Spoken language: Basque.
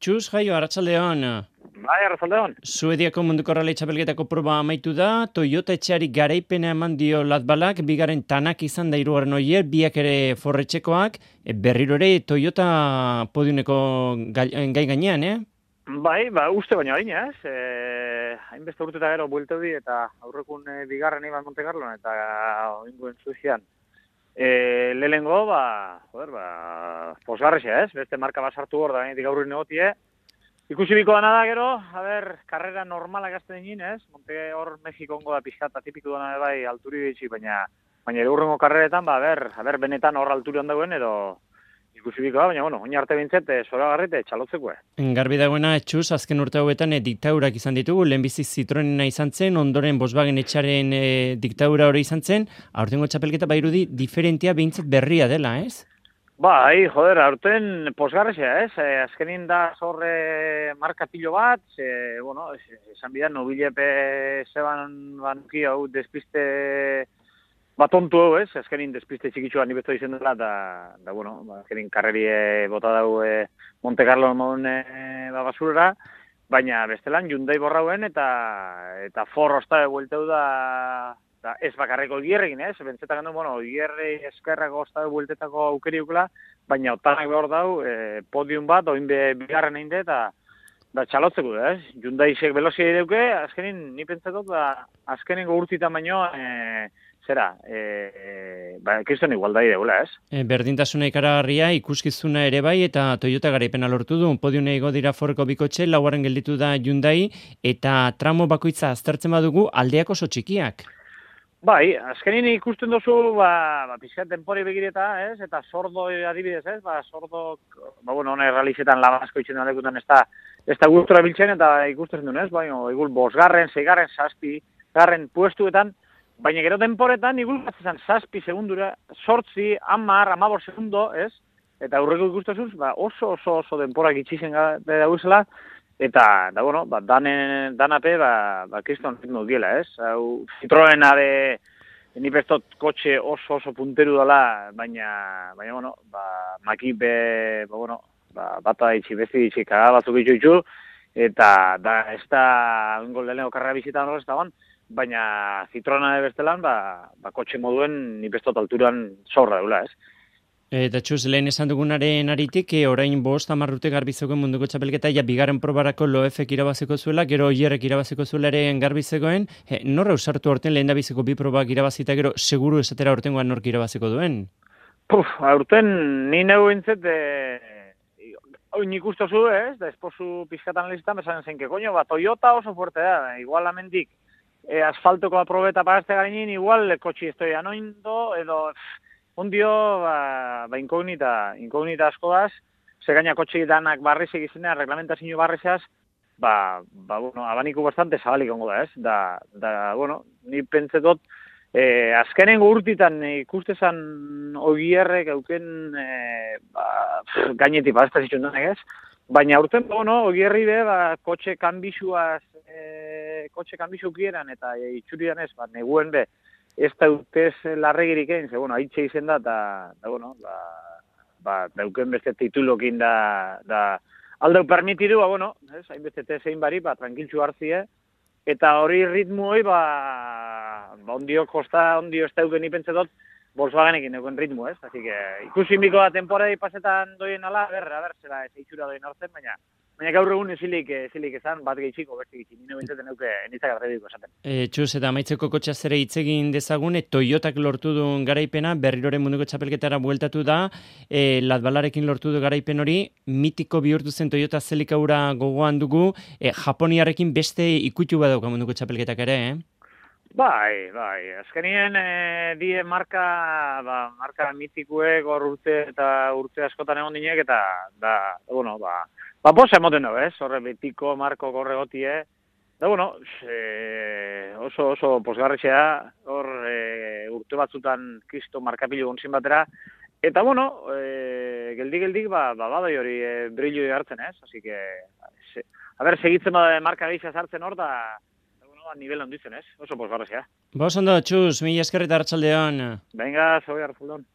Txus, jaio, arratsaldeon. Bai, arratsaldeon. Suediako munduko rally txapelketako proba amaitu da, Toyota etxeari garaipena eman dio Latbalak, bigarren Tanak izan da hirugarren Oier, biak ere forretxekoak, berriro ere Toyota podiumeko gai gainean, Bai, uste baina hain, ez? Hainbeste urte eta gero buelteu di, eta aurrekun bigarren iban Monte Carlon, eta oinguen Suizian. Lehengo, posgarrexea, ez? Beste marka bat sartu hor da, gaur negotie. Ikusi biko dana da gero, karrera normalak azten egin, ez? Monte hor Mexikongo da pixkata, tipiko dana bai alturi ditxi, baina ere hurrengo karreretan, benetan hor alturi handagoen edo ikusi biko da, baina, oin arte bintzet, zoragarrit, txalotzeko. Garbi dagoena, Txus, azken urte hauetan diktaurak izan ditugu, lehenbizi Citroenena izan zen, ondoren Volkswagen etxaren diktaura hori izan zen, aurtengo txapelketa bairudi diferentia behintzat berria dela, ez? Bai, aurten posgarrexea, ez? Azkenin da zorre markatilo bat, esan bidan, nobilepe zeban banuki hau despiste batontu hau, ez? Azkenin despiste txikitxuan nibesto izen dela, azkenin karrerie bota dau Monte Carlo modun basurera, baina bestelan Hyundai borrauen eta Ford osta buelteu da ez bakarreko Oigierrekin, ez? Bentzetak gandu, Oigierre eskerrako osta bueltetako aukeri ukela, baina otanak behar dau, podium bat, oin bigarren egin eta txalotzeko, ez? Hyundai isek velozia ideuke, azkenin, ni pentsatot, azkenengo urtitan baino, kriston igualdai deula, ez? Berdintasuna ikaragarria, ikuskizuna ere bai, eta Toyota garaipena lortu du, podiune igo dira Fordeko bikotxe, laugarren gelditu da Hyundai, eta tramo bakoitza aztertzen badugu, aldeak oso txikiak. Bai, azkenin ikusten duzu, pixkat denpori begireta, ez? Eta sordo adibidez, ez? Sordo, hone realizetan labasko itxen aldekutan ez da gustora biltzen eta ikusten duen, ez? Igul 5, 6, 7, garren puestuetan, baina gero denporetan igul batzizan 7 segundura, 8, 10, 15 segundo, ez? Eta aurreko ikustezuz, oso denporak itxizen dauzela, eta, danape, kriston ritmo diela, ez? Citroena nipestot kotxe oso punteru dela, baina, makipe, bata itxi, besti itxi, kagabatzuk itxu, eta ez da, ingol lehenko karrera bizitan hori ez da baina Citroena bestelan, kotxe moduen nipestot alturan zorra deula, ez? Eta Txus, lehen esan dugunaren aritik, orain 5-10 urte garbizegoen munduko txapelketa, bigarren probarako Loefek irabaziko zuela, gero Oierrek irabaziko zuela ere garbizegoen, norra usartu orten lehen dabiziko 2 probak irabazita, gero seguru esatera ortengoan nork irabaziko duen? Aurten ni neu bintzet, nik ustozu, ez? Da esposu pizkatan listan, besan zenke, Toyota oso fuerte da, igual amendik, asfaltoko aprobeta pagazte garenin, igual kotxi estoia noindo, edo... Ondio, inkognita asko daz, segaina kotxe danak barrizek izenean, reglamentazio barrizaz, abaniku bastante zabalik ongo da, ez? Ni pentsetot, azkenengo urtitan ikustezan Oigierrek euken gainetik ez da zitxun denek, ez? Baina urten, Oigierri be, kotxe kanbixu kieran eta itxuridan ez, neguen be, ez da utez larregirik egin, haitxe izen da, dauken beste titulokin aldeu permitidu, hainbeste tezein bari, tranquiltxu hartzie, eta hori ritmu hori, ondio ez dauken ipentzetot, Volkswagenekin dauken ritmu, ez? Así que, ikusi biko da temporada pasetan doien ala, zera, ez eitxura doien hartzen, baina gaur egun ezilik esan, bat gehitxiko, beste gehitxik, nire bintzaten euke nintzak arrebiko esaten. Txus, eta amaitzeko kotxaz ere hitz egin dezagun, Toyotak lortu duen garaipena, berriroren munduko txapelketara bueltatu da, Latbalarekin lortu du garaipen hori, mitiko bihurtu zen Toyota Zelikaura gogoan dugu, Japoniarekin beste ikutu badauka munduko txapelketak ere, Bai, azkenien die marka mitikuek hor urte askotan egon dinek, eta, posa emoten dugu, ez? Horre betiko marko korregotie, oso posgarretxea, hor urte batzutan kristo markapilu gontzin batera, eta, geldik, badai hori brillo hartzen, ez? Así que, segitzen marka gehiago hartzen hor, da, nivel onditzen, ez? Oso posgarretxea. Ondo, Txus, mila esker eta arratsaldeon. Venga, zoi arratsaldeon.